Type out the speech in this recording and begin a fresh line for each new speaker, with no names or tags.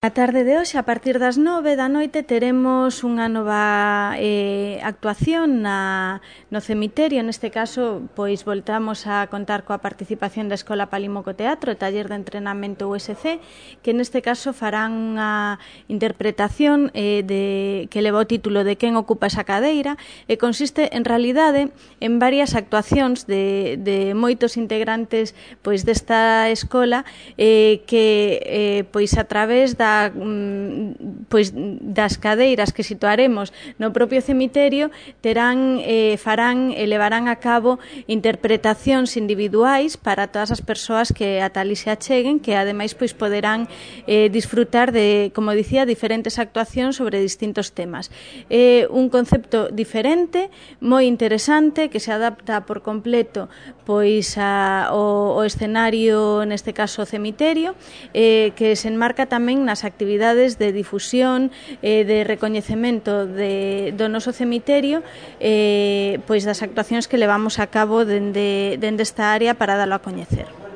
A tarde de hoxe, a partir das 9 da noite, teremos unha nova actuación no cemiterio. Neste caso, pois voltamos a contar coa participación da Escola Palimoco Teatro, taller de entrenamento USC, que neste caso farán unha interpretación que leva o título de Quen ocupa esa cadeira, e consiste, en realidade, en varias actuacións de moitos integrantes pois desta escola que pois a través das cadeiras que situaremos no propio cemiterio farán e levarán a cabo interpretacións individuais para todas as persoas que ata ali se acheguen, que ademais pois poderán disfrutar de, como dicía, diferentes actuacións sobre distintos temas. É un concepto diferente, moi interesante, que se adapta por completo pois ao escenario, neste caso o cemiterio, que se enmarca tamén nas actividades de difusión, de recoñecemento do noso cemiterio, pois das actuacións que levamos a cabo dende esta área para dalo a coñecer.